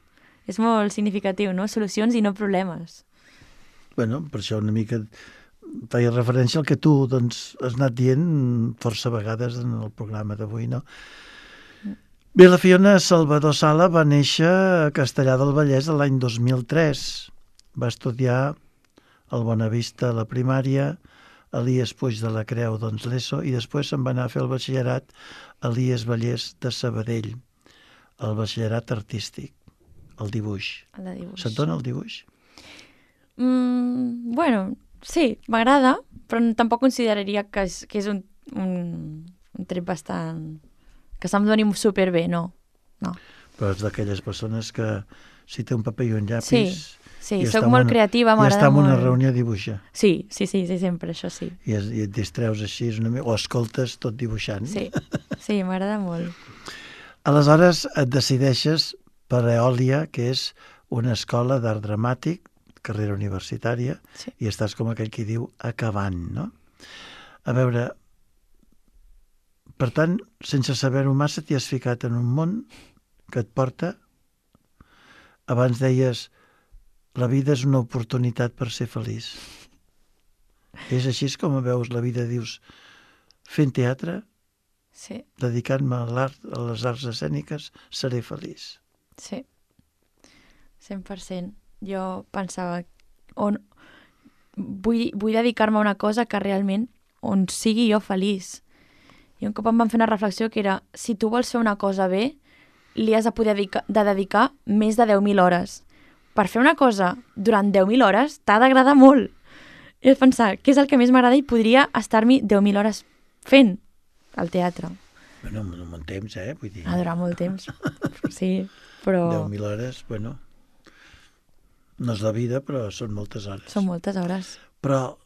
és molt significatiu, no? Solucions i no problemes. Bueno, per això una mica feia referència al que tu doncs, has anat dient força vegades en el programa d'avui, no? Bé, la Fiona Salvador Sala va néixer a Castellar del Vallès l'any dos mil tres. Va estudiar al Bonavista a la primària, a l'I E S Puig de la Creu, doncs l'ESO, i després se'n va anar a fer el batxillerat a l'I E S Vallès de Sabadell, el batxillerat artístic, el dibuix. El de dibuix. Se't dona el dibuix? Mm, bueno, sí, m'agrada, però tampoc consideraria que és, que és un, un, un tret bastant... que se'm doni superbé, no. no. Però és d'aquelles persones que si té un paper i un llapis... Sí, sí, I soc està en molt una- creativa, I m'agrada està en molt. una reunió a dibuixar. Sí, sí, sí, sí, sempre, això sí. I, es, i et distreus així, una mica, o escoltes tot dibuixant. Sí, sí, m'agrada molt. Aleshores et decideixes per Eòlia, que és una escola d'art dramàtic, carrera universitària, Sí. i estàs com aquell qui diu acabant, no? A veure, per tant, sense saber-ho massa, t'hi has ficat en un món que et porta. Abans deies, la vida és una oportunitat per ser feliç. És així com veus la vida, dius, fent teatre, Sí, dedicant-me a l'art, a les arts escèniques, seré feliç. sí, cent per cent. Jo pensava, on, vull, vull dedicar-me a una cosa que realment on sigui jo feliç. I un cop em van fer una reflexió que era, si tu vols fer una cosa bé, li has de poder dedicar, de dedicar més de deu mil hores. Per fer una cosa durant deu mil hores t'ha d'agradar molt. I vaig pensar, què és el que més m'agrada i podria estar-m'hi deu mil hores fent al teatre. Bueno, un bon temps, eh? Vull dir, Ha durat molt temps. Sí, però deu mil hores, bueno, no és la vida, però són moltes hores. són moltes hores. Però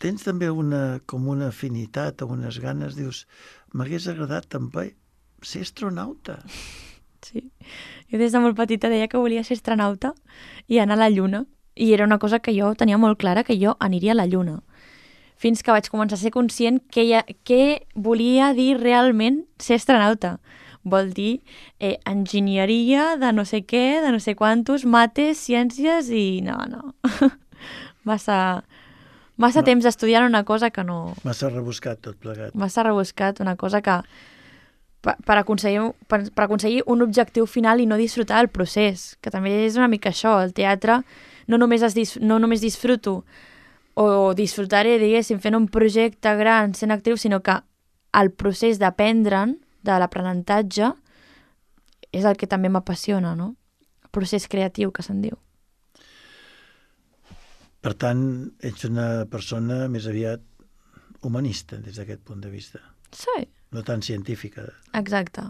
tens també una, com una afinitat o unes ganes, dius, m'hagués agradat també ser astronauta. Sí. Jo des de molt petita deia que volia ser astronauta i anar a la Lluna. I era una cosa que jo tenia molt clara, que jo aniria a la Lluna. Fins que vaig començar a ser conscient què, hi ha, què volia dir realment ser astronauta. Vol dir eh, enginyeria de no sé què, de no sé quantos, mates, ciències i no, no. massa massa No. temps estudiant una cosa que no... Massa rebuscat tot plegat. Massa rebuscat, una cosa que per, per, aconseguir, per, per aconseguir un objectiu final i no disfrutar del procés, que també és una mica això. El teatre no només, es dis, no només disfruto o disfrutaré, diguéssim, fent un projecte gran, sent actriu, sinó que el procés d'aprendre'n, de l'aprenentatge, és el que també m'apassiona, no? El procés creatiu, que se'n diu. Per tant, ets una persona més aviat humanista des d'aquest punt de vista, Sí, no tan científica. exacte.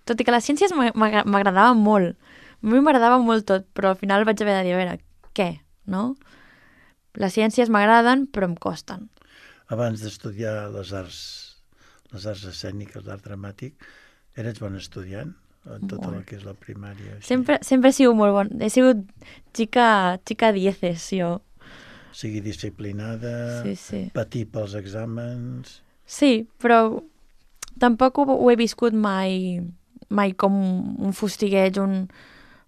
Tot i que les ciències m'agra- m'agradaven molt. A mi m'agradava molt tot, però al final vaig haver de dir, a veure, què, no? Les ciències m'agraden, però em costen. Abans d'estudiar les arts, les arts escèniques, l'art dramàtic, eres bon estudiant en tot el Molt. que és la primària. Així. Sempre, sempre he sigut molt bon. He sigut xica, xica dieces, jo. Sigui disciplinada, Sí, sí. patir pels exàmens... Sí, però tampoc ho, ho he viscut mai, mai com un fustigueig, un...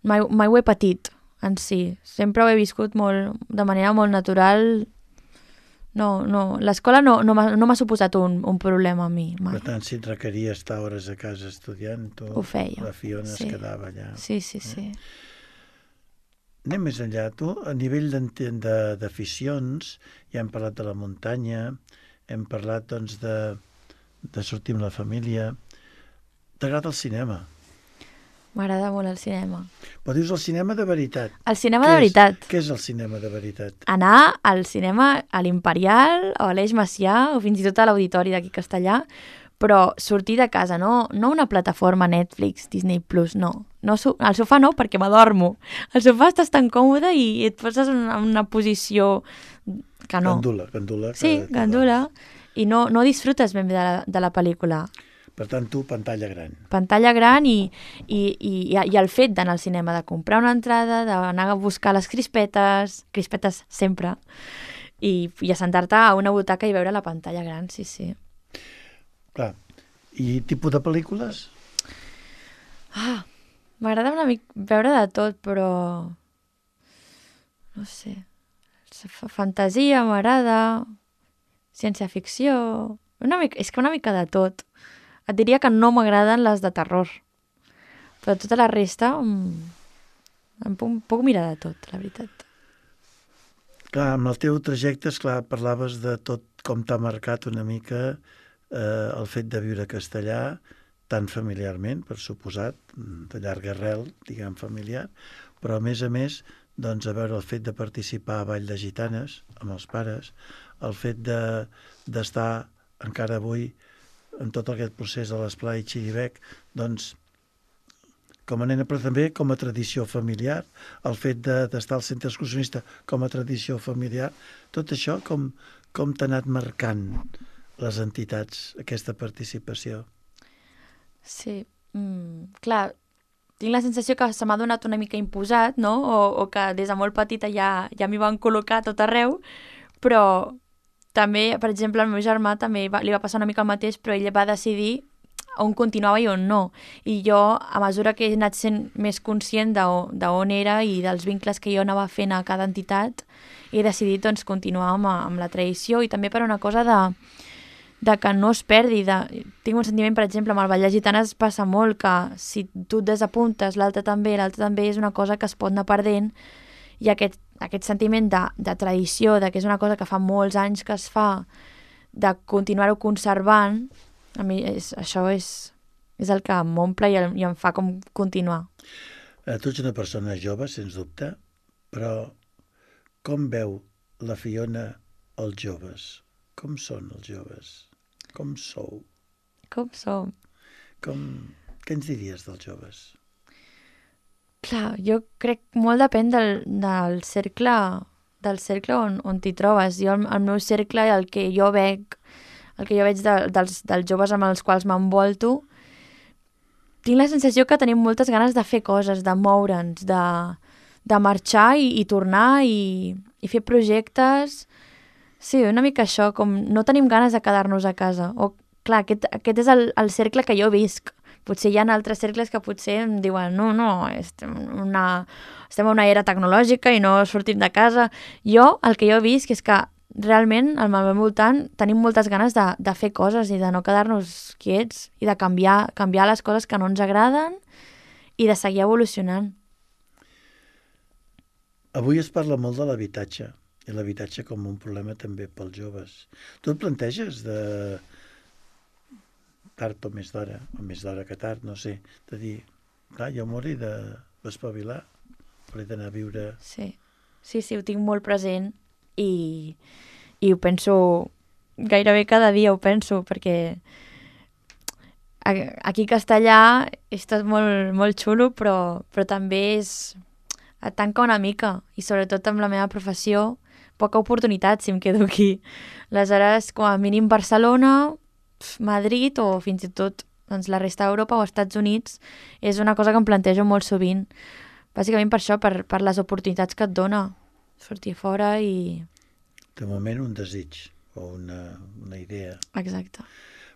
mai, mai ho he patit en si. Sempre ho he viscut molt, de manera molt natural. No, no, l'escola no, no m'ha no m'ha suposat un, un problema a mi, mai. Per tant, si et requeria estar hores a casa estudiant, tu, Ho feia, la Fiona sí. es quedava allà. Sí, sí, sí. Anem més enllà. Tu, a nivell d'enten- de- d'aficions, ja hem parlat de la muntanya, hem parlat, doncs, de, de sortir amb la família. T'agrada el cinema? M'agrada molt el cinema. Però dius el cinema de veritat. El cinema Què de és- veritat. Què és el cinema de veritat? Anar al cinema a l'Imperial o a l'Eix Macià o fins i tot a l'Auditori d'aquí a Castellà, però sortir de casa, no, no una plataforma Netflix, Disney Plus, no. no so, al sofà no, perquè m'adormo. Al sofà estàs tan còmode i et poses en una, una posició que no. Gandula, gandula. Sí, que- que gandula. I no, no disfrutes ben bé de la, de la pel·lícula. Per tant, tu, pantalla gran. Pantalla gran i, i, i, i el fet d'anar al cinema, de comprar una entrada, d'anar a buscar les crispetes, crispetes sempre, i, i assentar-te a una butaca i veure la pantalla gran, sí, sí. Clar. I tipus de pel·lícules? Ah, m'agrada una mica veure de tot, però... No sé. Fa- Fantasia m'agrada, ciència-ficció... Una mica, és que una mica de tot. Et diria que no m'agraden les de terror. Però tota la resta... Mm, em puc, puc mirar de tot, la veritat. Clar, amb el teu trajecte, esclar, parlaves de tot com t'ha marcat una mica eh, el fet de viure castellà, tan familiarment, per suposat, de llarga arrel, diguem, familiar, però a més a més, doncs, a veure el fet de participar a Ball de Gitanes amb els pares, el fet de d'estar encara avui en tot aquest procés de l'esplai Xiribec, doncs com a nena, però també com a tradició familiar, el fet de, d'estar al centre excursionista com a tradició familiar, tot això com, com t'ha anat marcant les entitats, aquesta participació? Sí, mm, clar, tinc la sensació que se m'ha donat una mica imposat, no? O, o que des de molt petita ja, ja m'hi van col·locar a tot arreu, però també, per exemple, el meu germà també va, li va passar una mica el mateix, però ell va decidir on continuava i on no. I jo, a mesura que he anat sent més conscient d'on era i dels vincles que jo anava fent a cada entitat, he decidit doncs, continuar amb, amb la tradició i també per una cosa de de que no es perdi. De... Tinc un sentiment, per exemple, amb el ballar gitanes passa molt que si tu et desapuntes, l'altre també, l'altre també, és una cosa que es pot anar perdent i aquest, aquest sentiment de, de tradició, de que és una cosa que fa molts anys que es fa, de continuar-ho conservant, a mi és, això és, és el que m'omple i, el, i em fa com continuar. Eh, tu ets una persona jove, sens dubte, però com veu la Fiona els joves? Com són els joves? Com sou? Com som? Com... Què ens diries dels joves? Clar, jo crec molt depèn del, del cercle, del cercle on, on t'hi trobes. Jo, el, el meu cercle, el que jo veig, el que jo veig de, dels, dels joves amb els quals m'envolto, tinc la sensació que tenim moltes ganes de fer coses, de moure'ns, de, de marxar i, i tornar i, i fer projectes. Sí, una mica això, com no tenim ganes de quedar-nos a casa. O, clar, aquest, aquest és el, el cercle que jo visc. Potser hi ha altres cercles que potser em diuen no, no, estem, una, estem en una era tecnològica i no sortim de casa. Jo, el que jo visc és que realment al meu voltant tenim moltes ganes de, de fer coses i de no quedar-nos quiets i de canviar, canviar les coses que no ens agraden i de seguir evolucionant. Avui es parla molt de l'habitatge. I l'habitatge com un problema també pels joves. Tu et planteges de tard o més d'hora, o més d'hora que tard, no sé, de dir, clar, jo m'hauré d'espavilar, hauré d'anar a viure... Sí, sí, sí, ho tinc molt present i, i ho penso gairebé cada dia, ho penso, perquè aquí a Castellà és tot molt, molt xulo, però, però també és... et tanca una mica, i sobretot amb la meva professió, poca oportunitat si em quedo aquí. Aleshores, com a mínim Barcelona, Madrid o fins i tot doncs, la resta d'Europa o Estats Units és una cosa que em plantejo molt sovint. Bàsicament per això, per, per les oportunitats que et dona sortir fora i... De moment un desig o una, una idea. Exacte.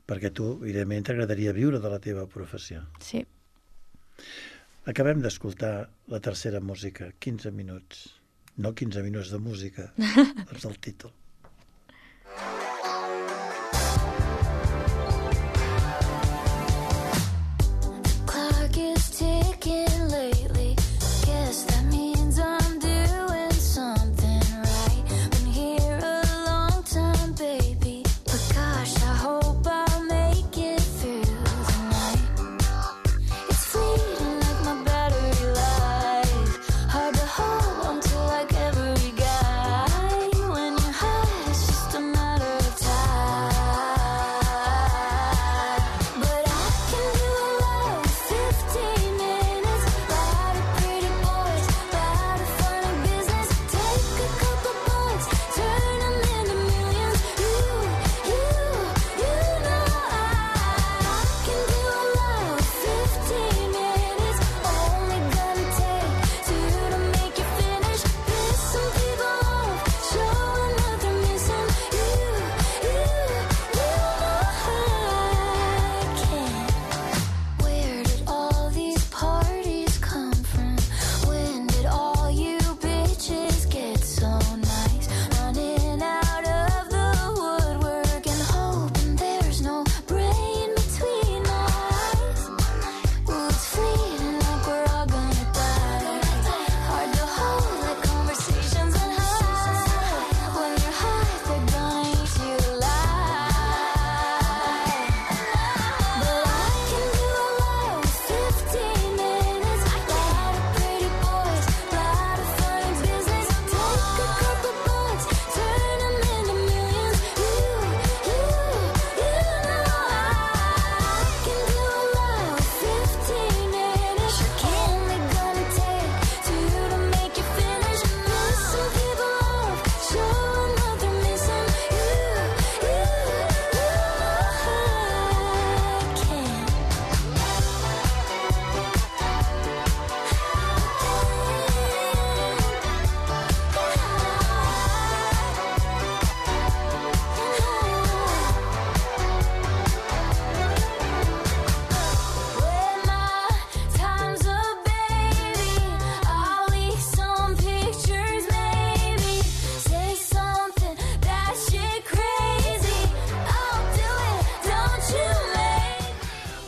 Perquè tu, evidentment, t'agradaria viure de la teva professió. Sí. Acabem d'escoltar la tercera música, quinze minuts. No quinze minuts de música, és el títol. Hard to hold on to like every guy when you're high.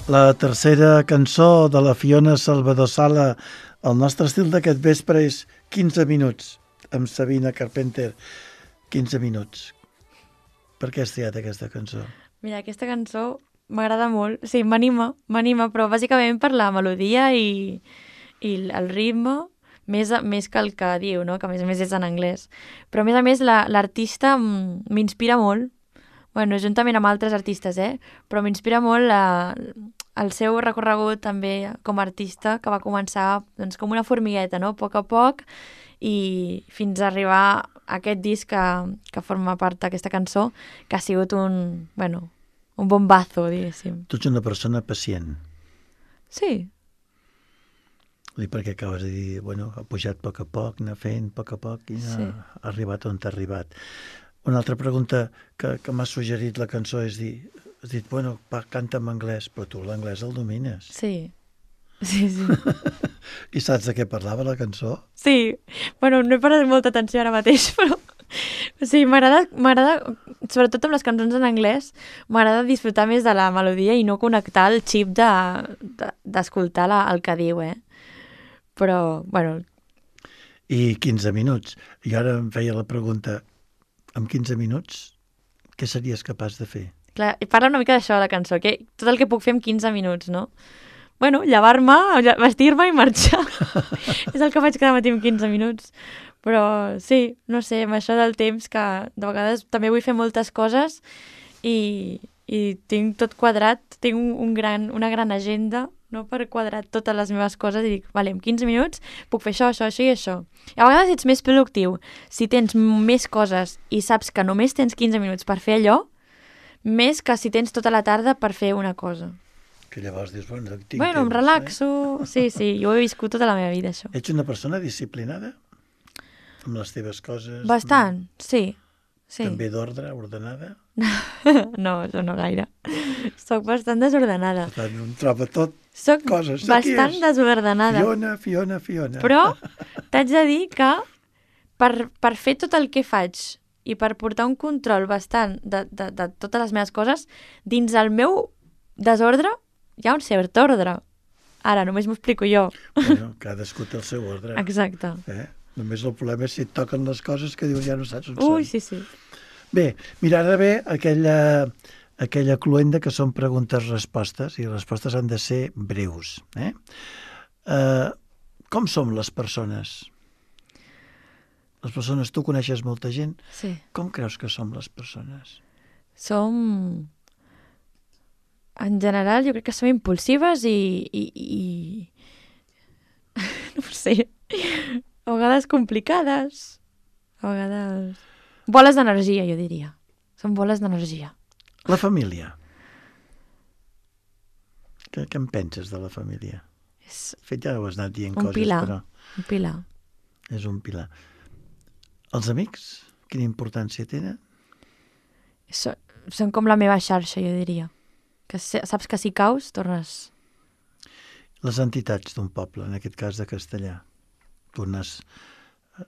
La tercera cançó de la Fiona Salvador Sala, el nostre estil d'aquest vespre és quinze minuts, amb Sabina Carpenter. quinze minuts. Per què has triat aquesta cançó? Mira, aquesta cançó m'agrada molt. Sí, m'anima, m'anima, però bàsicament per la melodia i, i el ritme, més, més que el que diu, no? Que a més a més és en anglès. Però a més a més la, l'artista m'inspira molt. Bueno, juntament amb altres artistes, eh? Però m'inspira molt la, el seu recorregut també com a artista, que va començar doncs, com una formigueta, no? A poc a poc, i fins a arribar a aquest disc que, que forma part d'aquesta cançó, que ha sigut un, bueno, un bombazo, diguéssim. Tu ets una persona pacient. Sí. I perquè acabes de dir, bueno, ha pujat a poc a poc, anar fent a poc a poc i Sí. ha arribat on t'ha arribat. Una altra pregunta que, que m'ha suggerit la cançó és dir, has dit, bueno, va, canta en anglès, però tu l'anglès el domines. Sí. Sí, sí. I saps de què parlava la cançó? Sí. Bueno, no he parat molta atenció ara mateix, però... Sí, m'agrada, m'agrada, sobretot amb les cançons en anglès, m'agrada disfrutar més de la melodia i no connectar el xip de, de, d'escoltar la, el que diu, eh? Però, bueno... I quinze minuts. I ara em feia la pregunta, amb quinze minuts, què series capaç de fer? Clar, parla una mica d'això de la cançó, que tot el que puc fer en quinze minuts, no? Bueno, llevar-me, vestir-me i marxar. És el que faig cada matí en quinze minuts. Però sí, no sé, amb això del temps, que de vegades també vull fer moltes coses i, i tinc tot quadrat, tinc un, un gran, una gran agenda, no, per quadrar totes les meves coses i dic, vale, en quinze minuts puc fer això, això, això i això. I a vegades ets més productiu si tens més coses i saps que només tens quinze minuts per fer allò, més que si tens tota la tarda per fer una cosa. Que llavors dius, bueno, tinc Bueno, em temps, relaxo... Eh? Sí, sí, jo ho he viscut tota la meva vida, això. Ets una persona disciplinada? Amb les teves coses? Bastant, sí. sí. També d'ordre, ordenada? No, això no gaire. Soc bastant desordenada. Per tant, em troba tot Soc coses. bastant desordenada. Fiona, Fiona, Fiona. Però t'haig de dir que per, per fer tot el que faig i per portar un control bastant de, de, de totes les meves coses, dins el meu desordre hi ha un cert ordre. Ara, només m'ho explico jo. Bueno, cadascú té el seu ordre. Exacte. Eh? Només el problema és si et toquen les coses que dius ja no saps on Ui, són. sí, sí. Bé, mira, ara ve aquella, aquella cluenda que són preguntes-respostes i les respostes han de ser breus. Eh? Uh, com som les persones? Les persones, tu coneixes molta gent. Sí. Com creus que som les persones? Som... En general, jo crec que som impulsives i... i, i... no ho sé. A vegades complicades. A vegades... Boles d'energia, jo diria. Són boles d'energia. La família. Què, què en penses de la família? És De fet, ja ho has anat dient un coses, pilar. però un pilar. és un pilar. Els amics, quina importància tenen? So, són com la meva xarxa, jo diria. Que se- saps que si caus, tornes... Les entitats d'un poble, en aquest cas de Castellà. Tu n'has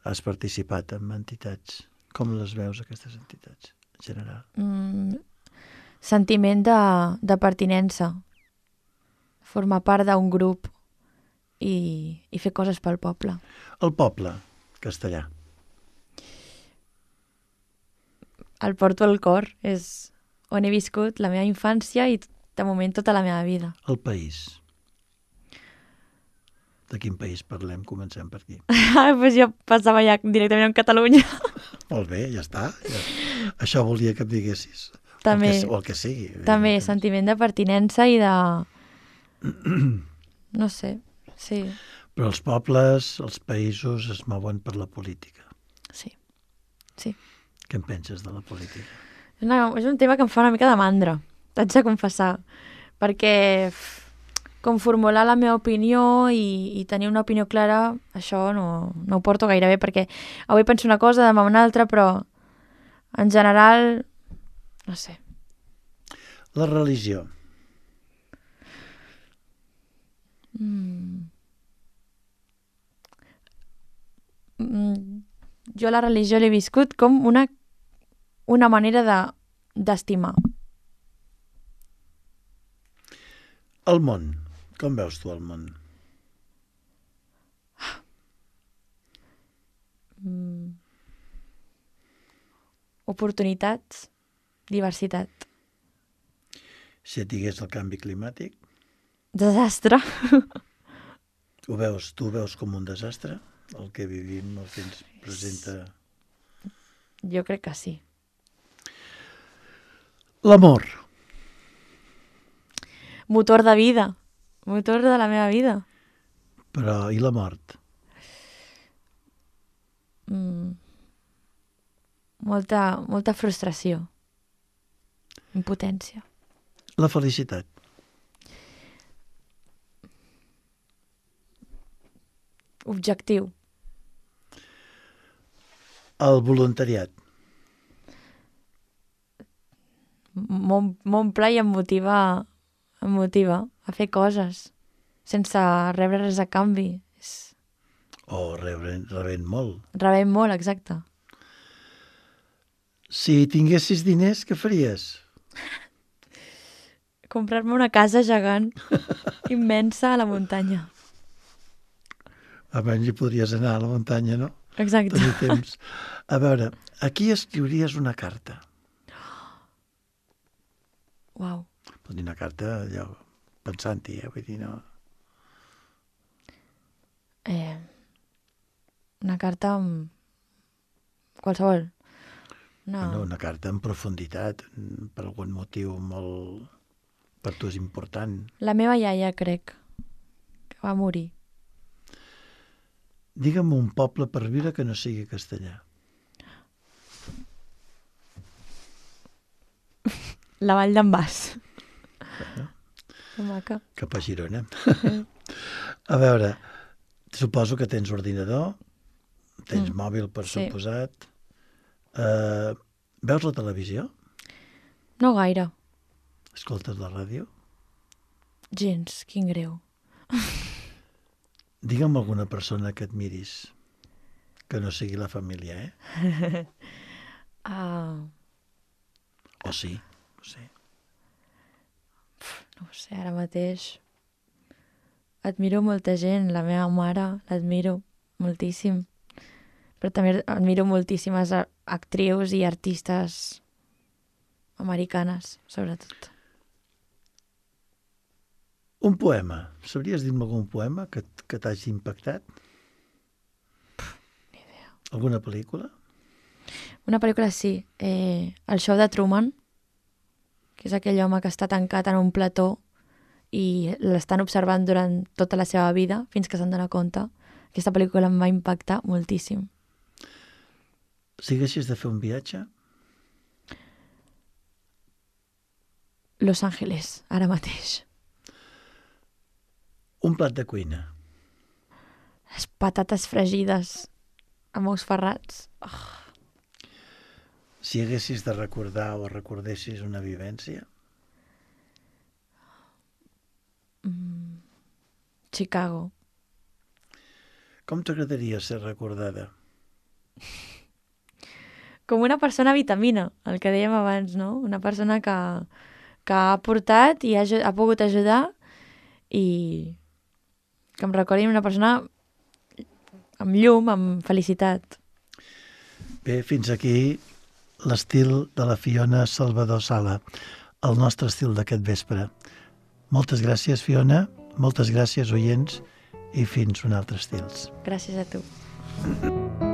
has participat en entitats. Com les veus, aquestes entitats, en general? Mm, sentiment de, de pertinença. Formar part d'un grup i, i fer coses pel poble. El poble, Castellà. El porto al cor. És on he viscut la meva infància i, de moment, tota la meva vida. El país. De quin país parlem? Comencem per aquí. Ah, doncs jo passava ja directament en Catalunya. Molt bé, ja està. Ja. Això volia que em diguessis. També, O el que, o el que sigui. també evidentment. sentiment de pertinença i de... No sé, sí, Però els pobles, els països es mouen per la política. sí, sí. Què en penses de la política? És, una, és un tema que em fa una mica de mandra, t'haig de confessar, perquè f, com formular la meva opinió i, i tenir una opinió clara, això no, no ho porto gaire bé, perquè avui penso una cosa, demà una altra, però en general, no sé. La religió. Mm. Mm, jo la religió l'he viscut com una, una manera de d'estimar. El món. Com veus tu el món? Mm. Oportunitats, diversitat. Si et digués el canvi climàtic, Desastre. ho veus, tu ho veus com un desastre? El que vivim, el que ens presenta... Jo crec que sí. L'amor. Motor de vida. Motor de la meva vida. Però i la mort? Mm. Molta, molta frustració. Impotència. La felicitat. Objectiu. El voluntariat. M'omple i em motiva, em motiva a fer coses sense rebre res a canvi. És... O rebent, rebent molt. Rebem molt, exacte. Si tinguessis diners, què faries? Comprar-me una casa gegant immensa a la muntanya. Abans hi podries anar a la muntanya, no? Exacte. Tenir temps. A veure, aquí escriuries una carta. Uau. Pot dir una carta allò, pensant-hi, eh? Vull dir, no... Eh, una carta amb... qualsevol. No. No, una carta en profunditat, per algun motiu molt... per tu és important. La meva iaia, crec, que va morir. Digue'm un poble per viure que no sigui castellà. La Vall d'en Bas. Bueno, Que maca. cap a Girona. A veure, suposo que tens ordinador, tens Mm, mòbil, per sí. suposat. Uh, veus la televisió? No gaire. Escoltes la ràdio? Gens, quin greu. Digue'm alguna persona que et miris, que no sigui la família, eh? Ah, O sí, no sé. no ho sé, ara mateix. Admiro molta gent, la meva mare l'admiro moltíssim. Però també admiro moltíssimes a- actrius i artistes americanes, sobretot. Un poema. Sabries dir-me algun poema que, t- que t'hagi impactat? Ni idea. Alguna pel·lícula? Una pel·lícula sí, eh, El show de Truman, que és aquell home que està tancat en un plató i l'estan observant durant tota la seva vida fins que se'n dona compte. Aquesta pel·lícula em va impactar moltíssim. Si haguessis de fer un viatge, Los Angeles, ara mateix. un plat de cuina. Les patates fregides amb ous ferrats. Oh, Si haguessis de recordar o recordessis una vivència, mm, Chicago. com t'agradaria ser recordada? Com una persona vitamina, el que dèiem abans, no? Una persona que, que ha aportat i ha, aju- ha pogut ajudar i que em recordin una persona amb llum, amb felicitat. Bé, fins aquí l'estil de la Fiona Salvador Sala, el nostre estil d'aquest vespre. Moltes gràcies, Fiona, moltes gràcies, oients, i fins un altre estils. Gràcies a tu.